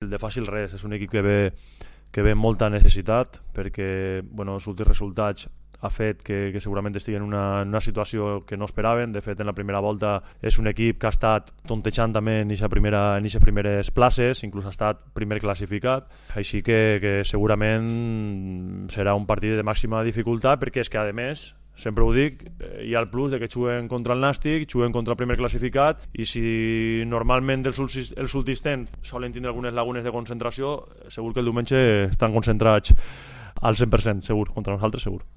el de fàcil res, és un equip que ve amb molta necessitat, perquè els últims resultats ha fet que segurament estiguen en una situació que no esperaven. De fet, en la primera volta és un equip que ha estat tontejant també en aquestes primeres places, inclús ha estat primer classificat, així que segurament serà un partit de màxima dificultat, perquè és que, a més, sempre ho dic, hi ha el plus de que juguen contra el Nàstic, juguen contra el primer classificat, i si normalment els últims temps solen tindre algunes lagunes de concentració, segur que el diumenge estan concentrats al 100%, segur, contra nosaltres segur.